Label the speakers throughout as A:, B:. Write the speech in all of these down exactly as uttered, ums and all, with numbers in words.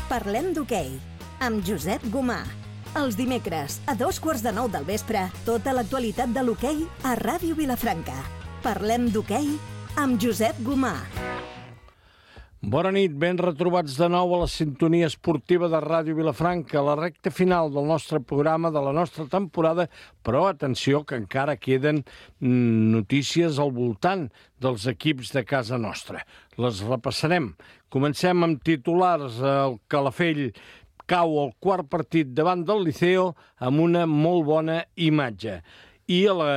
A: Parlem d'hoquei, amb Josep Gomà. Els dimecres, a dos quarts de nou del vespre, tota l'actualitat de l'hoquei a Ràdio Vilafranca. Parlem d'hoquei amb Josep Gomà.
B: Bona nit, ben retrobats de nou a la sintonia esportiva de Ràdio Vilafranca, a la recta final del nostre programa, de la nostra temporada, però atenció que encara queden notícies al voltant dels equips de casa nostra. Les repassarem. Comencem amb titulars. El Calafell cau al quart partit davant del Liceo amb una molt bona imatge. I a la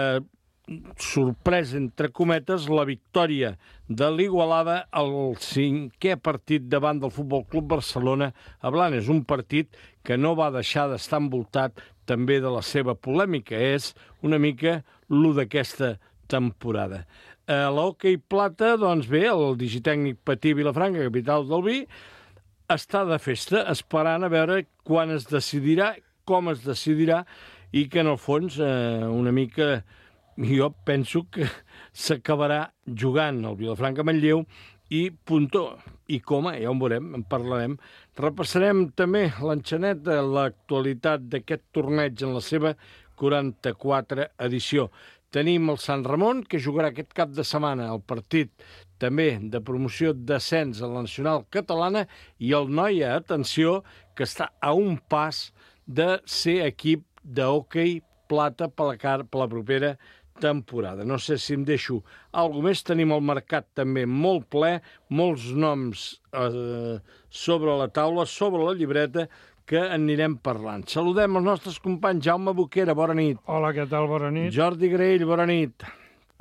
B: sorpresa, entre cometes, la victòria de l'Igualada al cinquè partit davant del Futbol Club Barcelona a Blanes. Un partit que no va deixar d'estar envoltat també de la seva polèmica. És una mica l'u d'aquesta temporada. A l'hoquei plata, doncs bé, el digitècnic Patí Vilafranca, capital del vi, està de festa, esperant a veure quan es decidirà, com es decidirà, i que en el fons eh, una mica jo penso que s'acabarà jugant el Vilafranca Manlleu i puntó. I com, ja ho veurem, en parlarem. Repassarem també l'enxaneta, l'actualitat d'aquest torneig en la seva quaranta-quatre edició. Tenim el Sant Ramon, que jugarà aquest cap de setmana el partit també de promoció d'ascens a la nacional catalana, i el Noia, atenció, que està a un pas de ser equip d'hoquei plata per la, car per la propera temporada. No sé si em deixo alguna més. Tenim el mercat també molt ple, molts noms eh, sobre la taula, sobre la llibreta, que anirem parlant. Saludem els nostres companys. Jaume Boquera, bona nit.
C: Hola, què tal? Bona nit.
B: Jordi Graell, bona nit.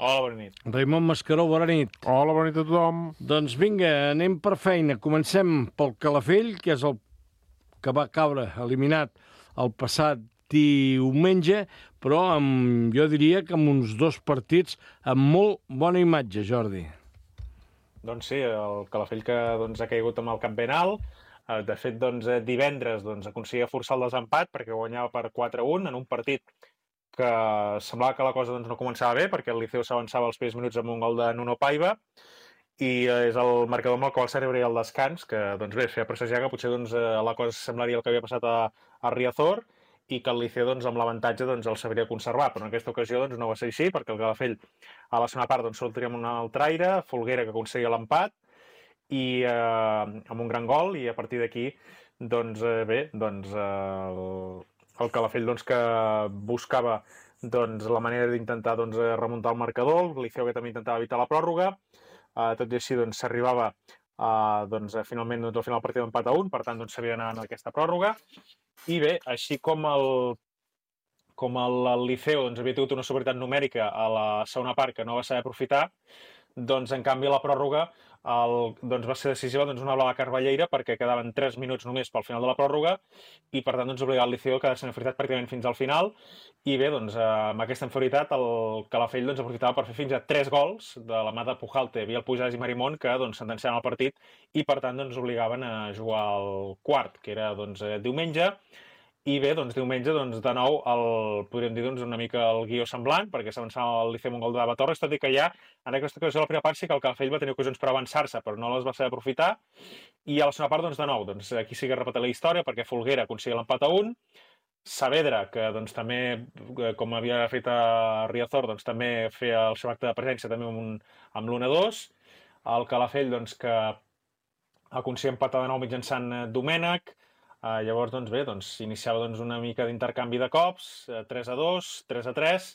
D: Hola, bona nit.
B: Raimon Mascaró, bona nit.
C: Hola, bona nit a tothom.
B: Doncs vinga, anem per feina. Comencem pel Calafell, que és el que va caure eliminat el passat diumenge, però amb, jo diria que amb uns dos partits amb molt bona imatge, Jordi.
D: Doncs sí, el Calafell que doncs, ha caigut amb el cap ben alt. De fet, doncs, divendres doncs, aconseguia forçar el desempat perquè guanyava per quatre a un en un partit que semblava que la cosa doncs, no començava bé, perquè el Liceu s'avançava als primers minuts amb un gol de Nuno Paiva, i és el marcador amb el qual s'arribaria al descans, que doncs, bé, feia presagiar que potser doncs, la cosa semblaria el que havia passat a, a Riazor, i que el Liceu doncs, amb l'avantatge doncs, el sabria conservar, però en aquesta ocasió doncs, no va ser així, perquè el Calafell a la segona part doncs, sortiria amb un altre aire, Folguera que aconseguia l'empat, i eh, amb un gran gol, i a partir d'aquí doncs eh, bé, doncs eh, el, el Calafell doncs, que buscava doncs, la manera d'intentar doncs, remuntar el marcador, el Liceu que també intentava evitar la pròrroga, eh, tot i així doncs, s'arribava eh, doncs, finalment doncs, al final el partit d'empat a un, per tant doncs, s'havia d'anar en aquesta pròrroga, i bé, així com el com el, el Liceu doncs, havia tingut una superioritat numèrica a la segona part que no va saber aprofitar, doncs en canvi a la pròrroga el, doncs, va ser decisiva doncs, una blava carballeira, perquè quedaven tres minuts només pel final de la pròrroga, i per tant doncs, obligava el Liceu a quedar-se en inferioritat pràcticament fins al final, i bé, doncs, amb aquesta inferioritat el Calafell doncs, aprofitava per fer fins a tres gols de la mà de Pujalte, Biel Pujades i Marimón, que doncs, sentenciaven el partit i per tant doncs, obligaven a jugar al quart, que era doncs, diumenge. I bé, doncs diumenge, doncs, de nou, el, podríem dir doncs, una mica el guió semblant, perquè s'avançava el Liceu amb un gol de Torres, tot i que ja, en aquesta ocasió, la primera part sí que el Calafell va tenir ocasions per avançar-se, però no les va saber aprofitar, i a la segona part, doncs, de nou, doncs, aquí sí que repeteix la història, perquè Folguera aconseguia l'empat a un, Saavedra, que doncs, també, com havia fet a Riazor, doncs, també feia el seu acte de presència també amb, un, amb l'u a dos, el Calafell, doncs, que aconseguia empatar de nou mitjançant Domènech. Uh, llavors, doncs bé, doncs, iniciava doncs, una mica d'intercanvi de cops, uh, tres a dos, tres a tres,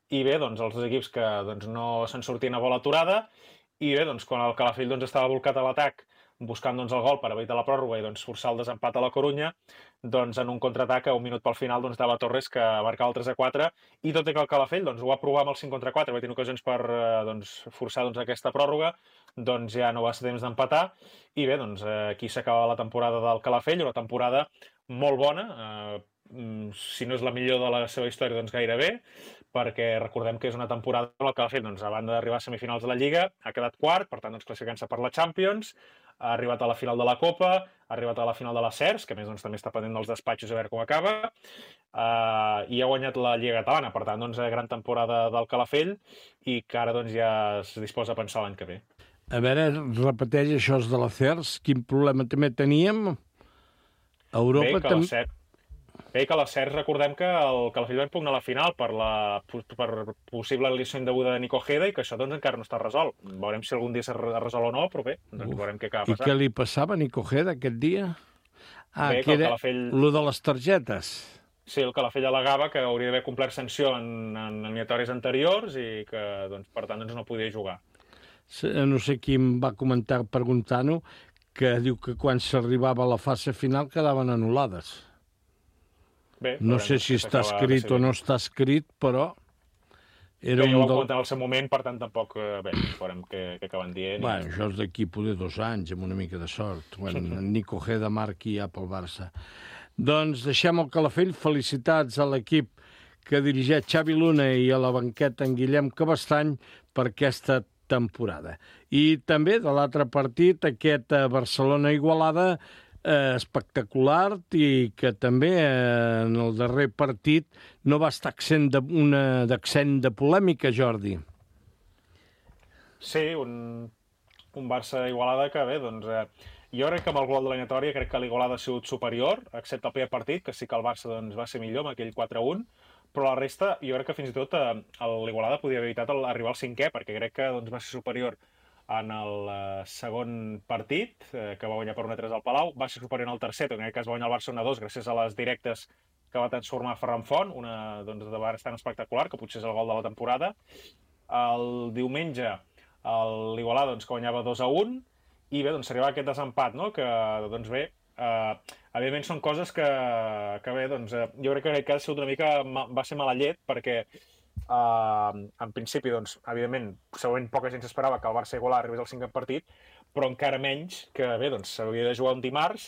D: i bé, doncs, els dos equips que doncs, no se'n sortien a bola aturada, i bé, doncs, quan el Calafell doncs, estava volcat a l'atac, buscant doncs, el gol per evitar la pròrroga i doncs, forçar el desempat a la Corunya, doncs, en un contraatac a un minut pel final doncs, dava Torres que marcava el tres a quatre, i tot i que el Calafell doncs, ho va provar amb el cinc contra quatre, va tenir ocasions per uh, doncs, forçar doncs, aquesta pròrroga, doncs ja no va ser temps d'empatar, i bé, doncs aquí s'acaba la temporada del Calafell, una temporada molt bona, eh, si no és la millor de la seva història, doncs gairebé, perquè recordem que és una temporada en la Calafell, doncs, a banda d'arribar a semifinals de la Lliga, ha quedat quart, per tant, doncs, classificant-se per la Champions, ha arribat a la final de la Copa, ha arribat a la final de la C E R S, que a més doncs, també està pendent dels despatxos a veure com acaba, uh, i ha guanyat la Lliga Catalana, per tant, doncs, gran temporada del Calafell, i que ara doncs, ja es disposa a pensar l'any que ve.
B: A veure, repeteix això de la C E R S, quin problema també teníem? Europa també...
D: Bé, que a les Cercs recordem que el Calafell va impugnar la final per la per possible eliminació indeguda de Nico Ojeda i que això doncs encara no està resolt. Veurem si algun dia s'ha resol o no, però bé, doncs Uf. veurem què acaba passant.
B: I què li passava a Nico Ojeda aquest dia? Ah, bé, que era Calafell... lo de les targetes.
D: Sí, el Calafell al·legava que hauria d'haver complert sanció en, en eliminatòries anteriors i que, doncs, per tant, doncs, no podia jugar.
B: No sé qui em va comentar preguntant-ho, que diu que quan s'arribava a la fase final quedaven anul·lades. Bé, no sé si està escrit o no està escrit, però...
D: Era bé, jo ho del... en el seu moment, per tant, tampoc... Bé, veurem què, què acaben dient.
B: Bueno, i... això és d'aquí poder dos anys, amb una mica de sort, quan Nico Ojeda marqui ja pel Barça. Doncs deixem el Calafell. Felicitats a l'equip que dirigeix Xavi Luna i a la banqueta en Guillem Cabestany per aquesta temporada. I també de l'altre partit, aquest Barcelona-Igualada, Eh, espectacular i que també eh, en el darrer partit no va estar accent de, una d'accent de polèmica, Jordi.
D: Sí, un, un Barça-Igualada que bé, doncs eh, jo crec que amb el gol de l'eliminatòria crec que l'Igualada ha sigut superior, excepte el primer partit, que sí que el Barça doncs, va ser millor amb aquell quatre a un, però la resta jo crec que fins i tot eh, l'Igualada podia haver evitat el, arribar al cinquè, perquè crec que doncs, va ser superior en el uh, segon partit, eh, que va guanyar per un a tres al Palau, va ser superior en el tercer, en aquest cas va guanyar el Barça un a dos gràcies a les directes que va transformar Ferran Font, una doncs, de bastant espectacular, que potser és el gol de la temporada. El diumenge l'Igualada doncs, que guanyava dos a un, i bé, doncs s'arribava aquest desempat, no? Que, doncs bé, eh, evidentment són coses que, que bé, doncs, eh, jo crec que en aquest cas una mica va ser mala llet, perquè Uh, en principi, doncs, evidentment, segurament poca gent s'esperava que el Barça Igualada arribés al cinquè partit, però encara menys que, bé, doncs, s'hauria de jugar un dimarts,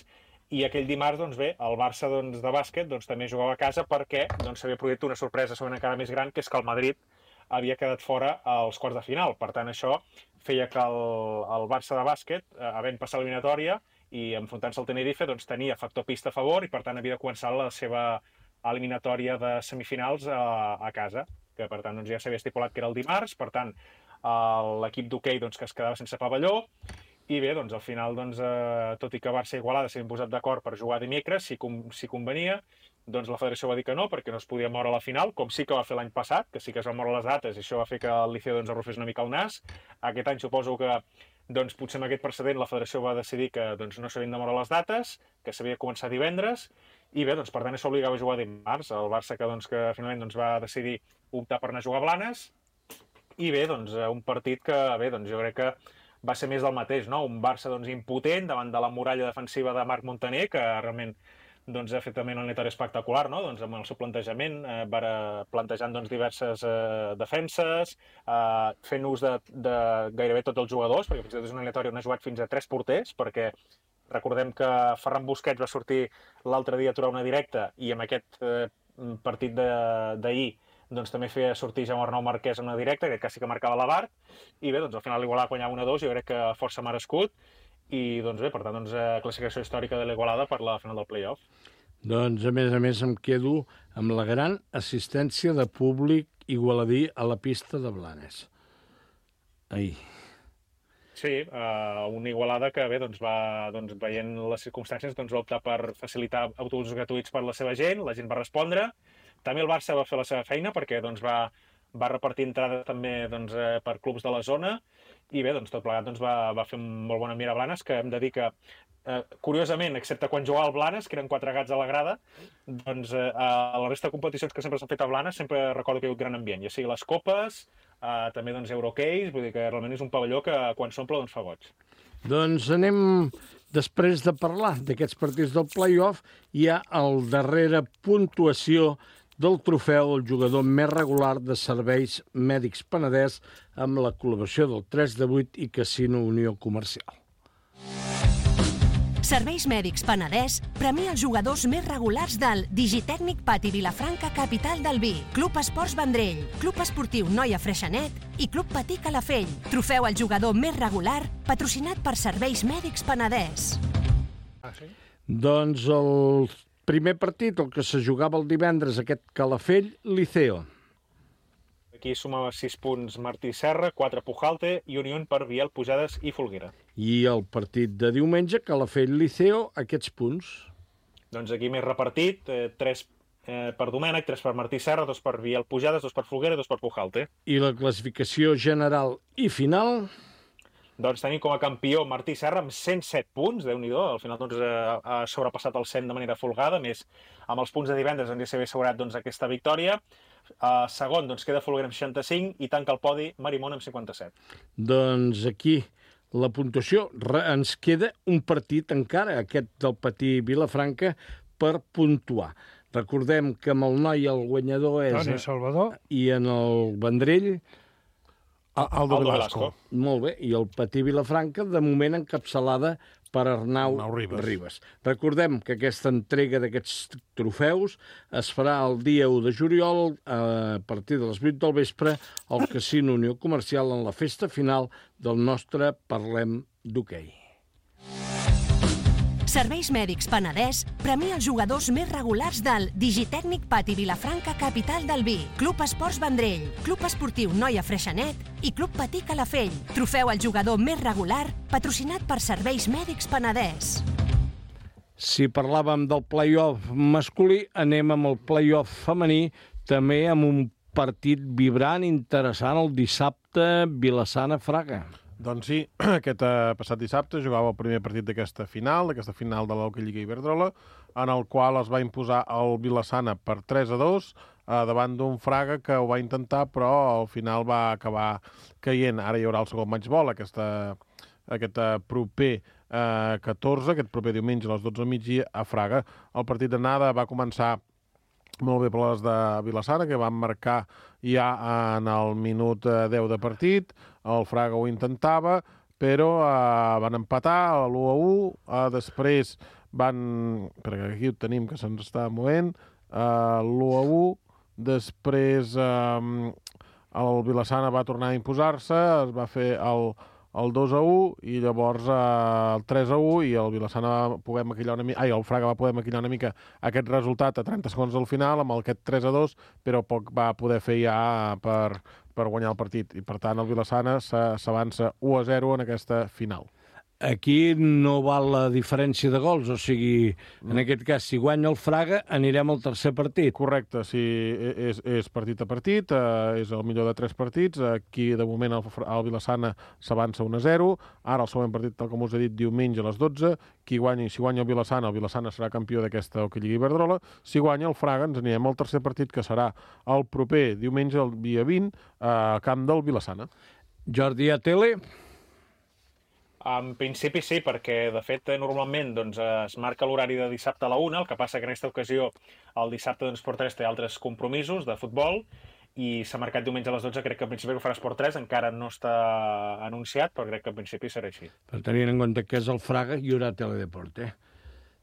D: i aquell dimarts, doncs bé, el Barça doncs, de bàsquet doncs, també jugava a casa perquè doncs, s'havia produït una sorpresa segurament encara més gran, que és que el Madrid havia quedat fora als quarts de final. Per tant, això feia que el, el Barça de bàsquet, eh, havent passat l'eliminatòria i enfrontant-se al Tenerife, doncs, tenia factor pista a favor i, per tant, havia de començar la seva eliminatòria de semifinals a, a casa, que per tant doncs, ja s'havia estipulat que era el dimarts, per tant l'equip d'hoquei doncs, que es quedava sense pavelló, i bé, doncs al final, doncs, eh, tot i que Barça i Igualada s'havien posat d'acord per jugar dimecres, si, com, si convenia, doncs la federació va dir que no, perquè no es podia moure a la final, com sí que va fer l'any passat, que sí que es van moure les dates, i això va fer que el Liceo doncs, arrufés una mica el nas. Aquest any suposo que doncs, potser amb aquest precedent la federació va decidir que doncs, no s'havien de moure les dates, que s'havia de començar divendres, i bé, doncs, per tant, això obligava a jugar dimarts. El Barça que, doncs, que finalment doncs, va decidir optar per anar a jugar a Blanes, i bé, doncs, un partit que, bé, doncs, jo crec que va ser més del mateix, no? Un Barça doncs, impotent davant de la muralla defensiva de Marc Montaner, que realment doncs, ha fet també una eliminatòria espectacular, no? Doncs, amb el seu plantejament, eh, va plantejant doncs, diverses eh, defenses, eh, fent ús de, de gairebé tots els jugadors, perquè fins i tot és una eliminatòria on ha jugat fins a tres porters, perquè recordem que Ferran Busquets va sortir l'altre dia a aturar una directa i amb aquest eh, partit d'ahir doncs, també feia sortir Jaume Arnau Marquès en una directa, que quasi que marcava la Bart, i bé, doncs, al final l'Igualada guanyava un a dos, jo crec que força merescut, i doncs bé, per tant, doncs, classificació històrica de l'Igualada per la final del play-off.
B: Doncs, a més a més, em quedo amb la gran assistència de públic igualadí a la pista de Blanes. Ai...
D: Sí, uh, una Igualada que bé, doncs, va, doncs, veient les circumstàncies doncs, va optar per facilitar autobusos gratuïts per la seva gent, la gent va respondre. També el Barça va fer la seva feina perquè doncs, va, va repartir entrades també doncs, eh, per clubs de la zona i bé, doncs, tot plegat doncs, va, va fer un molt bon ambient a Blanes, que hem de dir que, eh, curiosament, excepte quan jugava al Blanes, que eren quatre gats a la grada, doncs eh, a la resta de competicions que sempre s'han fet a Blanes sempre recordo que hi ha hagut gran ambient, ja sigui les copes, Uh, també doncs, Eurocays, vull dir que realment és un pavelló que quan s'omple doncs, fa goig.
B: Doncs anem, després de parlar d'aquests partits del play-off, hi ha el darrere puntuació del trofeu al jugador més regular de Serveis Mèdics Penedès amb la col·laboració del tres de vuit i Casino Unió Comercial.
A: Serveis Mèdics Penedès premia els jugadors més regulars del Digitècnic Pati Vilafranca, capital del vi, Club Esports Vendrell, Club Esportiu Noia Freixenet i Club Patí Calafell. Trofeu al jugador més regular, patrocinat per Serveis Mèdics Penedès.
D: Ah, sí?
B: Doncs el primer partit, el que se jugava el divendres, aquest Calafell-Liceo.
D: Aquí sumava sis punts Martí Serra, quatre Pujalte i Unió per Biel, Pujades i Folguera.
B: I el partit de diumenge, Calafell-Liceo, aquests punts?
D: Doncs aquí més repartit, eh, tres eh, per Domènech, tres per Martí Serra, dos per Biel Pujades, dos per Folguera i dos per Pujalte.
B: I la classificació general i final?
D: Doncs tenim com a campió Martí Serra amb cent set punts, Déu-n'hi-do, al final doncs, ha, ha sobrepassat el cent de manera folgada, més amb els punts de divendres hauria d'haver assegurat doncs, aquesta victòria. Uh, segon, doncs, queda Folguera amb seixanta-cinc i tanca el podi Marimón amb cinquanta-set.
B: Doncs aquí la puntuació, ens queda un partit encara, aquest del Patí Vilafranca, per puntuar. Recordem que amb el noi el guanyador és...
C: Toni Salvador.
B: I en el Vendrell...
C: Aldo, Aldo Velasco. Velasco.
B: Molt bé, i el Patí Vilafranca, de moment encapçalada per Arnau, Arnau Ribas. Ribas. Recordem que aquesta entrega d'aquests trofeus es farà el dia u de juliol a partir de les vuit del vespre al Casino Unió Comercial en la festa final del nostre Parlem d'Hoquei.
A: Serveis Mèdics Penedès premia els jugadors més regulars del Digitècnic Pati Vilafranca, capital del vi, Club Esports Vendrell, Club Esportiu Noia Freixenet i Club Patí Calafell. Trofeu al jugador més regular, patrocinat per Serveis Mèdics Penedès.
B: Si parlàvem del play-off masculí, anem amb el play-off femení, també amb un partit vibrant, interessant, el dissabte Vilassana-Fraga.
C: Doncs sí, aquest eh, passat dissabte jugava el primer partit d'aquesta final, d'aquesta final de l'Hockey Lliga Iberdrola, en el qual es va imposar el Vilassana per tres a dos, eh, davant d'un Fraga que ho va intentar, però al final va acabar caient. Ara hi haurà el segon matchball, aquesta, aquest eh, proper eh, catorze, aquest proper diumenge a les dotze del migdia a Fraga. El partit d'anada va començar molt bé per les de Vilassana, que van marcar ja en el minut deu de partit. El Fraga ho intentava, però eh, van empatar l'u a u. Eh, després van... Perquè aquí ho tenim, que se'ns està movent. Eh, l'u a u. Després eh, el Vilassana va tornar a imposar-se, es va fer el, el dos a u i llavors eh, el tres a u i el Vilassana va poder maquillar una mica, ai, el Fraga va poder maquillar una mica aquest resultat a trenta segons del final amb aquest tres a dos, però poc va poder fer ja per, per guanyar el partit i per tant el Vilassana s'avança u a zero en aquesta final.
B: Aquí no val la diferència de gols, o sigui, en aquest cas, si guanya el Fraga, anirem al tercer partit.
C: Correcte, sí, és, és partit a partit, eh, és el millor de tres partits, aquí de moment el, el Vilassana s'avança un a zero, ara el següent partit, tal com us he dit, diumenge a les dotze, qui guanyi, si guanya el Vilassana, el Vilassana serà campió d'aquesta Hockey Lliga Iberdrola, si guanya el Fraga ens anirem al tercer partit, que serà el proper diumenge, el dia vint, a camp del Vilassana.
B: Jordi, a tele...
D: En principi sí, perquè de fet normalment doncs, es marca l'horari de dissabte a la una, el que passa que en aquesta ocasió el dissabte doncs, Esport tres té altres compromisos de futbol i s'ha marcat diumenge a les dotze, crec que en principi ho farà Esport tres, encara no està anunciat, però crec que en principi serà així.
B: Per tenir en compte que és el Fraga, hi haurà Teledeporte.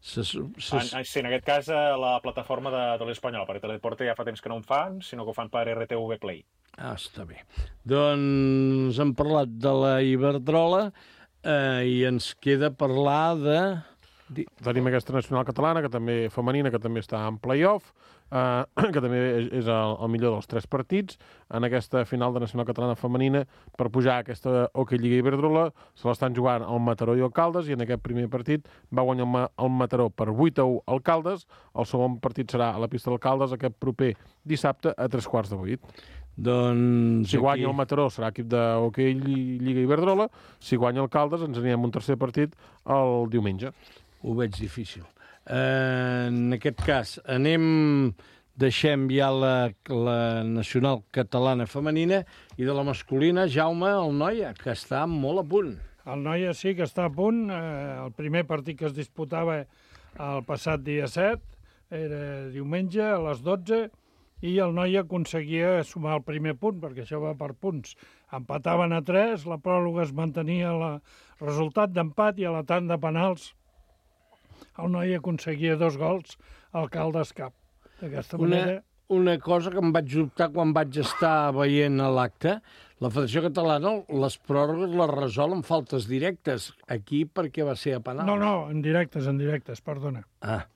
B: Ses, ses...
D: En, sí, en aquest cas la plataforma de Tele Espanyola, perquè Teledeporte ja fa temps que no en fan, sinó que ho fan per R T V Play.
B: Ah, està bé. Doncs hem parlat de la Iberdrola, Uh, i ens queda parlar de...
C: Tenim aquesta nacional catalana, que també femenina, que també està en play-off, uh, que també és el, el millor dels tres partits. En aquesta final de nacional catalana femenina, per pujar a aquesta Hockey Lliga Iberdrola, se l'estan jugant el Mataró i el Caldes, i en aquest primer partit va guanyar el Mataró per vuit a u al Caldes. El segon partit serà a la pista del Caldes aquest proper dissabte a tres quarts de vuit.
B: Doncs
C: si guanya
B: aquí...
C: el Mataró serà equip de Hockey Lliga Iberdrola, si guanya el Caldes ens anirem un tercer partit el diumenge.
B: Ho veig difícil. Eh, en aquest cas, anem, deixem ja la, la nacional catalana femenina i de la masculina, Jaume, el Noia, que està molt a punt.
C: El Noia sí que està a punt. Eh, el primer partit que es disputava el passat dia set era diumenge a les dotze, i el Noia aconseguia sumar el primer punt, perquè això va per punts. Empataven a tres, la pròrroga es mantenia el resultat d'empat i a la tant de penals el Noia aconseguia dos gols al Caldes cap. D'aquesta manera...
B: Una cosa que em vaig dubtar quan vaig estar veient a l'acte, la Federació Catalana les pròrrogues les resol amb faltes directes. Aquí per què va ser a penals?
C: No, no, en directes, en directes, perdona.
B: Ah,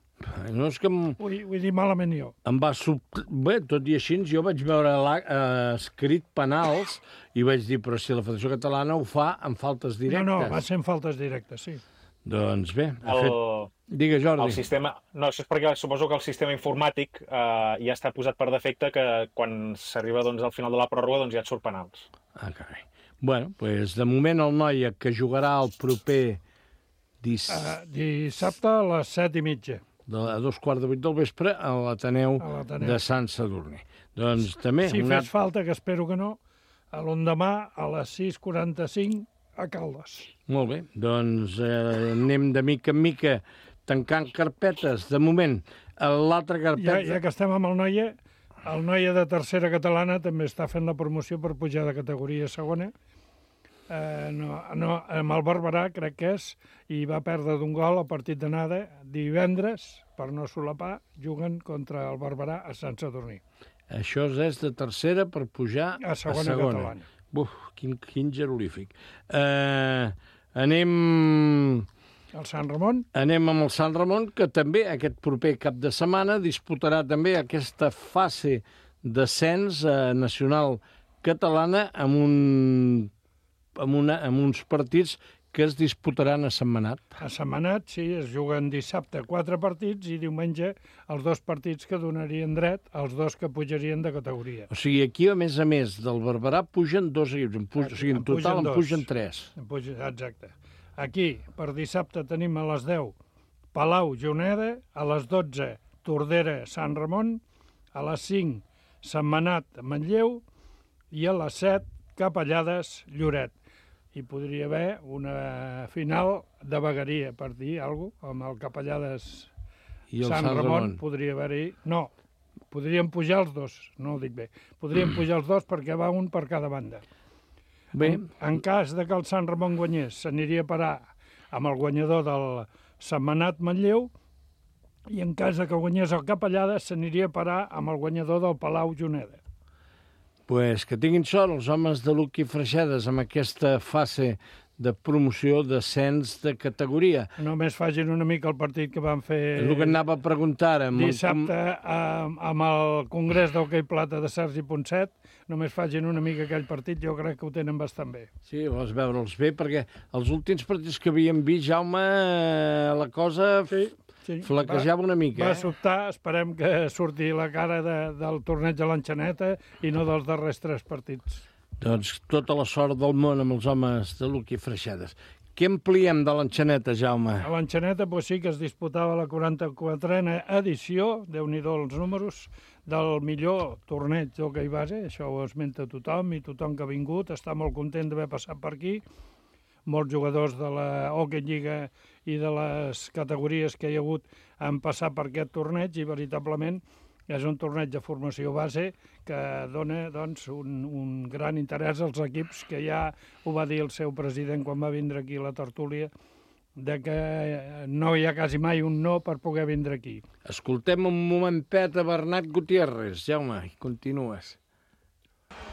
B: no és que... Em...
C: Vull, vull dir malament jo.
B: Em va sub... Bé, tot i així, jo vaig veure eh, escrit penals i vaig dir, però si la Federació Catalana ho fa amb faltes directes.
C: No, no, va ser en faltes directes, sí.
B: Doncs bé, ha
D: El,
B: fet... Digue, Jordi.
D: el sistema... No, això és perquè suposo que el sistema informàtic eh, ja està posat per defecte que quan s'arriba doncs, al final de la pròrroga doncs, ja et surt penals.
B: Ah, carai. Bueno, doncs de moment el Noia, que jugarà el proper dis...
E: Uh, dissabte a les set i mitja.
B: De, a dos quarts de vuit del vespre a l'Ateneu de Sant Sadurní. Doncs també...
E: Si
B: una...
E: fes falta, que espero que no, a l'endemà a les sis quaranta-cinc a Caldes.
B: Molt bé, doncs eh, anem de mica en mica tancant carpetes. De moment, l'altra carpeta...
E: Ja, ja que estem amb el Noia, el Noia de tercera catalana també està fent la promoció per pujar de categoria segona. Eh, no, no, amb el Barberà, crec que és, i va perdre d'un gol al partit d'anada divendres, per no solapar, juguen contra el Barberà a Sant Sadurní.
B: Això és de tercera per pujar
E: a segona,
B: a segona.
E: catalana.
B: Uf, quin, quin jerolífic. Eh, anem...
E: El Sant Ramon?
B: Anem amb el Sant Ramon, que també aquest proper cap de setmana disputarà també aquesta fase d'ascens eh, nacional catalana amb, un, amb, una, amb uns partits que es disputaran a Sentmenat.
E: A Sentmenat, sí, es juguen dissabte quatre partits i diumenge els dos partits que donarien dret als dos que pujarien de categoria.
B: O sigui, aquí, a més a més del Barberà, pugen dos equips. En pugen, o sigui, en, en total en pugen tres.
E: En pugen, exacte. Aquí, per dissabte, tenim a les deu Palau, Juneda, a les dotze Tordera, Sant Ramon, a les cinc Sentmenat, Manlleu i a les set Capellades, Lloret. Hi podria haver una final de vegueria, per dir alguna cosa, amb el Capellades
B: i el
E: Sant,
B: Sant
E: Ramon.
B: Ramon.
E: Podria haver-hi... No, podrien pujar els dos, no ho dic bé. Podrien pujar els dos perquè va un per cada banda.
B: Bé.
E: En, en cas de que el Sant Ramon guanyés, s'aniria a parar amb el guanyador del Sentmenat Manlleu, i en cas de que guanyés el Capellades, s'aniria a parar amb el guanyador del Palau Juneda.
B: Pues que tinguin sort els homes de Luc i Freixedes amb aquesta fase de promoció d'ascens de categoria.
E: Només facin una mica el partit que van fer...
B: És el que anava a preguntar. Amb
E: dissabte amb, amb el Congrés d'Hoquei Plata de Sergi Ponset, només facin una mica aquell partit, jo crec que ho tenen bastant bé.
B: Sí, vols veure'ls bé, perquè els últims partits que havíem vist, Jaume, la cosa
E: sí, sí.
B: flaquejava una mica.
E: Va
B: eh?
E: sobtar, esperem que surti la cara de, del torneig de l'Enxaneta i no dels darrers tres partits.
B: Doncs tota la sort del món amb els homes de Luc i Freixedes. Què ampliem de l'Enxaneta, Jaume?
E: A l'Enxaneta pues, sí que es disputava la quaranta-quatrena edició, Déu-n'hi-do els números, del millor torneig d'hoquei base, això ho esmenta tothom i tothom que ha vingut està molt content d'haver passat per aquí. Molts jugadors de la Hockey Lliga i de les categories que hi ha hagut han passat per aquest torneig i veritablement és un torneig de formació base que dona doncs, un, un gran interès als equips, que ja ho va dir el seu president quan va vindre aquí a la tertúlia, de que no hi ha quasi mai un no per poder vindre aquí.
B: Escoltem un momentet a Bernat Gutiérrez. Jaume, continues.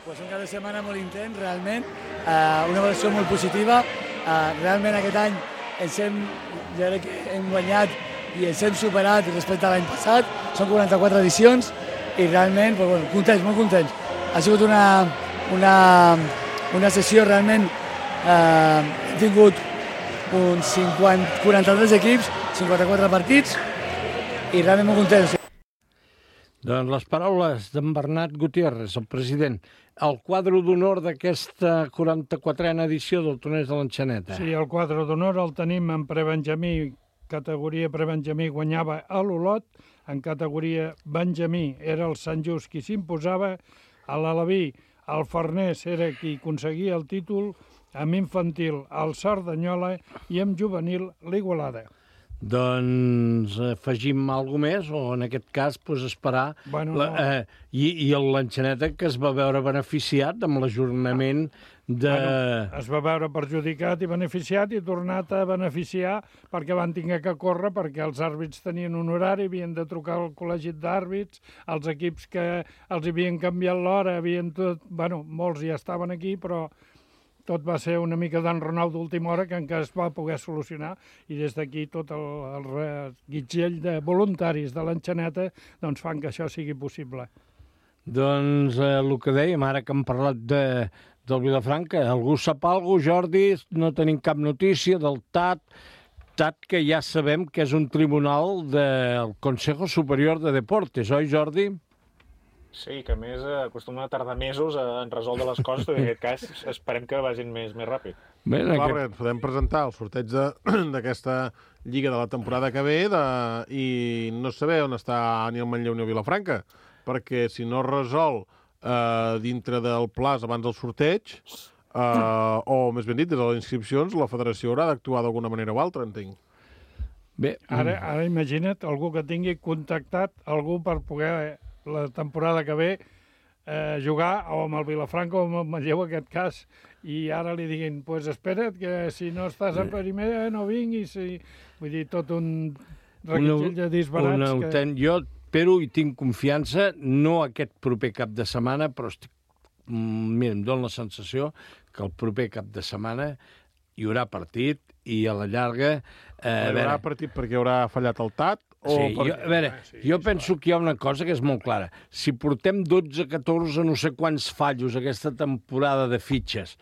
F: Pues un cap de setmana molt intens, realment, uh, una valoració molt positiva. Uh, realment aquest any ens hem, jo crec que hem guanyat i ens hem superat respecte a l'any passat. Són quaranta-quatre edicions i realment, pues, bueno, contents, molt contents. Ha sigut una, una, una sessió realment... Eh, hem tingut uns cinquanta, quaranta-tres equips, cinquanta-quatre partits i realment molt contents.
B: Doncs les paraules d'en Bernat Gutiérrez, el president. El quadre d'honor d'aquesta quaranta-quatrena edició del torneig de l'Enxaneta.
E: Sí, el quadre d'honor el tenim en prebenjamí, categoria prebenjamí guanyava a l'Olot, en categoria benjamí era el Sant Just qui s'imposava, a l'Alaví el Farners era qui aconseguia el títol, amb infantil el Cerdanyola i amb juvenil l'Igualada.
B: Doncs afegim alguna més, o en aquest cas pues, esperar...
E: Bueno,
B: la,
E: no.
B: eh, I i l'Enxaneta, que es va veure beneficiat amb l'ajornament de...
E: Bueno, es va veure perjudicat i beneficiat i tornat a beneficiar perquè van tinguer que córrer, perquè els àrbits tenien un horari, havien de trucar al col·legi d'àrbits, els equips que els havien canviat l'hora, havien tot... Bueno, molts ja estaven aquí, però... tot va ser una mica d'enrenou d'última hora que encara es va poder solucionar i des d'aquí tot el, el reguitzell de voluntaris de l'Enxaneta doncs fan que això sigui possible.
B: Doncs eh, el que dèiem, ara que hem parlat de, del Vilafranca, algú sap alguna cosa, Jordi? No tenim cap notícia del T A T. Tat que ja sabem que és un tribunal del Consejo Superior de Deportes, oi, Jordi?
D: Sí, que a més eh, acostuma a tardar mesos en resoldre les coses, però en aquest cas esperem que vagin més, més ràpid.
B: Bé,
C: Clar,
B: aquest...
C: perquè ens podem presentar el sorteig d'aquesta lliga de la temporada que ve de, i no saber on està ni el Manlleu ni el Vilafranca, perquè si no es resol eh, dintre del plaç abans del sorteig, Uh, o, més ben dit, des de les inscripcions, la federació haurà d'actuar d'alguna manera o altra, entenc.
B: Bé,
E: Ara, ara imagina't algú que tingui contactat algú per poder la temporada que ve eh, jugar o amb el Vilafranca o amb el Manlleu, en aquest cas, i ara li diguin, pues espera't, que si no estàs a primera no vinguis. I... Vull dir, tot un reguitzell de disbarats.
B: Una,
E: que...
B: ten... Jo espero i tinc confiança, no aquest proper cap de setmana, però estic... Mira, em dóna la sensació que el proper cap de setmana hi haurà partit i a la llarga... Eh,
C: hi haurà veure... partit perquè haurà fallat el Tat? O
B: sí,
C: per...
B: jo, a veure, sí, jo penso que hi ha una cosa que és molt clara. Si portem dotze, catorze, no sé quants fallos aquesta temporada de fitxes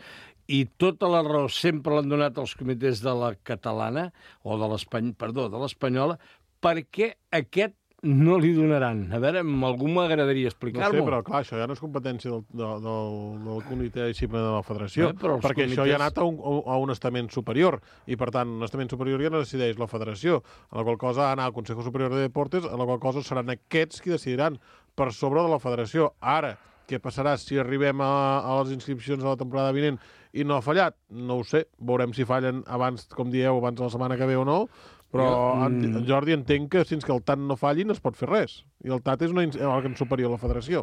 B: i tota la raó sempre l'han donat els comitès de la catalana, o de l'espany... perdó, de l'espanyola, per què aquest no li donaran? A veure, a algú m'agradaria explicar-m'ho.
C: No sé, però clar, això ja no és competència del, del, del, del comitè de disciplina de la federació,
B: Bé, perquè
C: comitès... això ja ha anat a un, a un estament superior, i per tant, un estament superior ja no decideix la federació, a la qual cosa ha d'anar al Consejo Superior de Deportes, a la qual cosa seran aquests qui decidiran per sobre de la federació. Ara, què passarà si arribem a, a les inscripcions de la temporada vinent i no ha fallat? No ho sé, veurem si fallen abans, com dieu, abans de la setmana que ve o no, però jo, en, en Jordi entenc que fins que el T A T no falli no es pot fer res. I el T A T és un òrgan superior a la federació.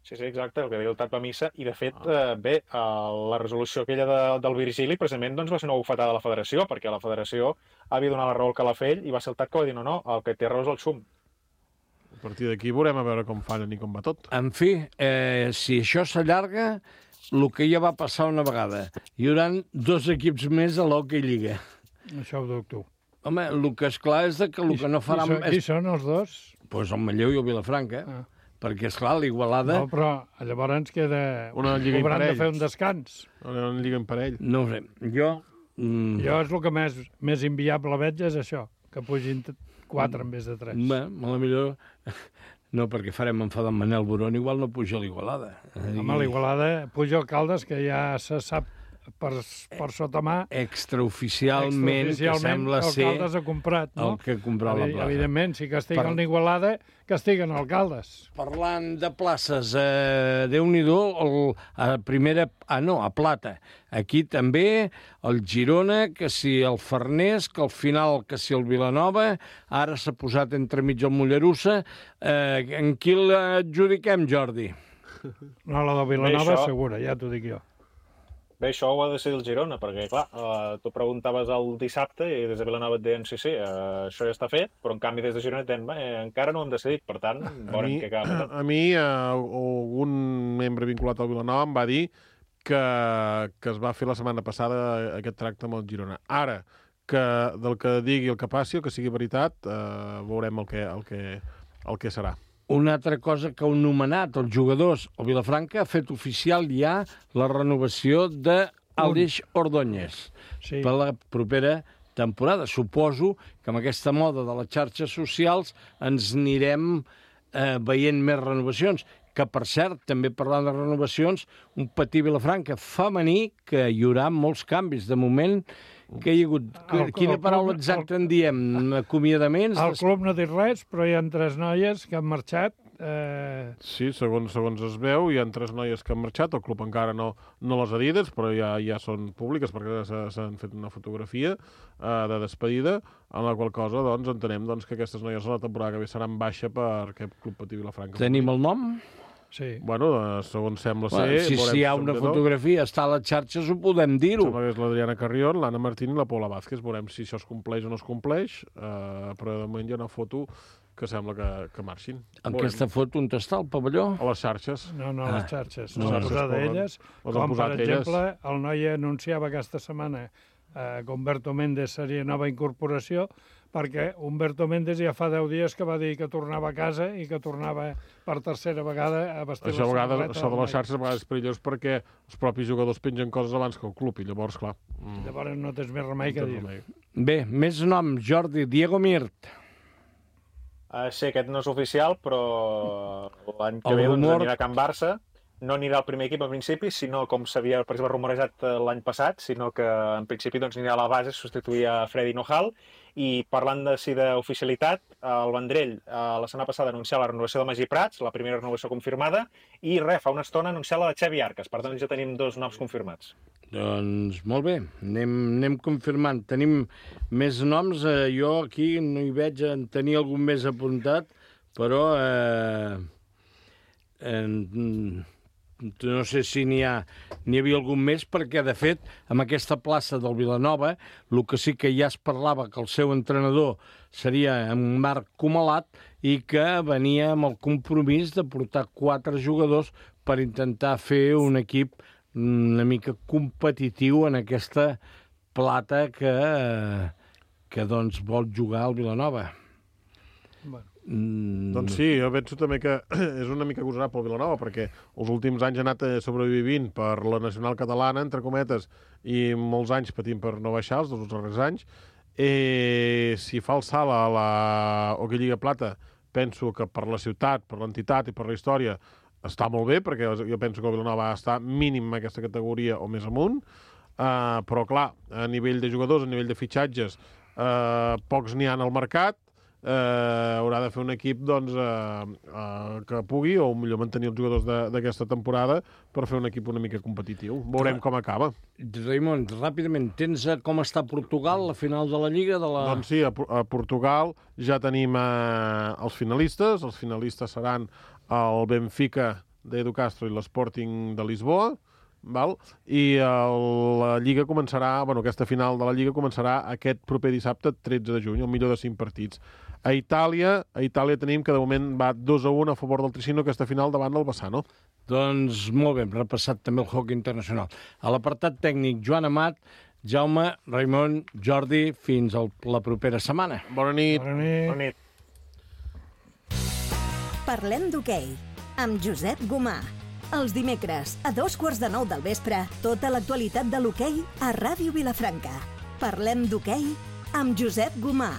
D: Sí, sí, exacte, el que diu el T A T va a missa. I, de fet, eh, bé, eh, la resolució aquella de, del Virgili precisament doncs, va ser una bufetada de la federació, perquè la federació havia donat la raó al Calafell i va ser el T A T que va dir no, no, el que té raó és el Xum.
C: A partir d'aquí veurem a veure com fallen i com va tot.
B: En fi, eh, si això s'allarga, el que ja va passar una vegada. Hi haurà dos equips més a l'Hockey Lliga.
E: Això ho dubto.
B: Home, el que és clar és que el que no farà...
E: Qui, qui són els dos?
B: Doncs pues el Manlleu i el Vilafranca. Ah. Perquè, esclar, l'Igualada...
E: No, però llavors ens queda...
C: Una lliga
E: Hauran de
C: imparell.
E: fer un descans.
C: Una lliga imparell.
B: No ho sé. Jo... Mm...
E: Jo és el que més, més inviable veig és això, que pugin quatre en vez de tres.
B: Bé, a la millor... No, perquè farem enfadar en Manel Boron, igual no puja l'Igualada.
E: Home, l'Igualada puja el Caldes, que ja se sap per, per sota mà...
B: Extraoficialment, que sembla ser...
E: El Caldes ha comprat, no?
B: El que ha comprat la plaça.
E: Evidentment, si castiguen per... l'Igualada, castiguen el Caldes.
B: Parlant de places, eh, Déu-n'hi-do, el, a primera... Ah, no, a Plata. Aquí també el Girona, que si el Farners, que al final que si el Vilanova, ara s'ha posat entremig el Mollerussa. Eh, en qui l'adjudiquem, Jordi?
E: No, la del Vilanova
D: això...
E: segura, ja t'ho dic jo.
D: Bé, això ho ha de ser el Girona, perquè, clar, eh, tu preguntaves el dissabte i des de Vilanova et deien sí, sí, eh, això ja està fet, però en canvi des de Girona et deien, eh, encara no ho hem decidit, per tant, veurem què acaba.
C: A mi, eh, algun membre vinculat al Vilanova em va dir que, que es va fer la setmana passada aquest tracte amb el Girona. Ara, que del que digui el que passi, el que sigui veritat, eh, veurem el que, el que, el que serà.
B: Una altra cosa que heu nomenat, els jugadors, el Vilafranca ha fet oficial ja la renovació d'Aleix Ordóñez
E: sí.
B: per la propera temporada. Suposo que amb aquesta moda de les xarxes socials ens anirem eh, veient més renovacions. Que, per cert, també parlant de renovacions, un petit Vilafranca femení que hi haurà molts canvis. De moment, que hi ha hagut... El, Quina el paraula club, exacta el, en diem? Acomiadaments?
E: El club no ha dit res, però hi ha tres noies que han marxat. Eh...
C: Sí, segons, segons es veu, hi ha tres noies que han marxat. El club encara no, no les ha dites, però ja, ja són públiques perquè s'han fet una fotografia eh, de despedida, en la qual cosa doncs, entenem doncs, que aquestes noies a la temporada que ve seran baixa per aquest club Petit Vilafranca.
B: Tenim el nom?
E: Sí.
C: Bueno, segons sembla ser...
B: Bueno, si si hi ha una fotografia, està a les xarxes, ho podem dir-ho.
C: Sembla que és l'Adriana Carrión, l'Anna Martín i la Paula Vázquez. Veurem si això es compleix o no es compleix, eh, però de moment hi ha una foto que sembla que, que marxin.
B: Aquesta foto on està, el pavelló?
C: A les xarxes.
E: No, no, a les xarxes. No,
C: no,
E: les posat elles, com per exemple, elles. El noi anunciava aquesta setmana eh, que Humberto Méndez seria nova incorporació, perquè Humberto Méndez ja fa deu dies que va dir que tornava a casa i que tornava per tercera vegada a vestir
C: això
E: la
C: samarreta. Això de les xarxes a vegades és perillós perquè els propis jugadors pengen coses abans que el club i llavors, clar...
E: Mm. Llavors no tens més remei que dir.
B: Bé, més noms, Jordi, Diego Mirt.
D: Uh, sí, aquest no és oficial, però l'any que
B: El
D: ve doncs,
B: rumor-
D: anirà a Can Barça. No anirà al primer equip al principi, sinó com s'havia, per exemple, rumorejat eh, l'any passat, sinó que en principi doncs, anirà a la base a substituir a Freddy Nojal. I parlant de, sí, d'oficialitat, el Vendrell eh, la setmana passada anunciava la renovació de Magí Prats, la primera renovació confirmada, i res, fa una estona anunciar la de Xavi Arcas. Per tant, ja tenim dos noms confirmats.
B: Doncs molt bé, anem, anem confirmant. Tenim més noms, eh, jo aquí no hi veig, en tenir algun més apuntat, però eh, eh, no sé si n'hi ha, n'hi havia algun més, perquè de fet, amb aquesta plaça del Vilanova, el que sí que ja es parlava que el seu entrenador seria en Marc Comalat i que venia amb el compromís de portar quatre jugadors per intentar fer un equip una mica competitiu en aquesta plata que, que doncs, vol jugar al Vilanova.
E: Bueno.
B: Mm.
C: Doncs sí, jo penso també que és una mica agosarat pel Vilanova, perquè els últims anys ha anat sobrevivint per la nacional catalana, entre cometes, i molts anys patint per no baixar, els dos darrers anys. Eh, si fa el salt a la Hockey Lliga Plata, penso que per la ciutat, per l'entitat i per la història està molt bé, perquè jo penso que el Vilanova està mínim en aquesta categoria o més amunt, uh, però clar, a nivell de jugadors, a nivell de fitxatges, uh, pocs n'hi ha al mercat, uh, haurà de fer un equip doncs, uh, uh, que pugui, o millor mantenir els jugadors d'aquesta temporada per fer un equip una mica competitiu. Veurem com acaba.
B: Raimon, ràpidament, tens com està Portugal, la final de la Lliga? De la...
C: Doncs sí, a, a Portugal ja tenim uh, els finalistes. Els finalistes seran el Benfica d'Edu Castro i l'Sporting de Lisboa, val? I el, la Lliga començarà, bueno, aquesta final de la Lliga començarà aquest proper dissabte, tretze de juny, el millor de cinc partits. A Itàlia, a Itàlia tenim que de moment va dos a un a favor del Tricino, aquesta final davant del Bassano.
B: Doncs molt bé, hem repassat també el hockey internacional. A l'apartat tècnic, Joan Amat, Jaume, Raimon, Jordi, fins a la propera setmana.
C: Bona nit.
E: Bona nit.
D: Bona nit.
G: Parlem d'hoquei, amb Josep Gomà. Els dimecres, a dos quarts de nou del vespre, tota l'actualitat de l'hoquei a Ràdio Vilafranca. Parlem d'hoquei amb Josep Gomà.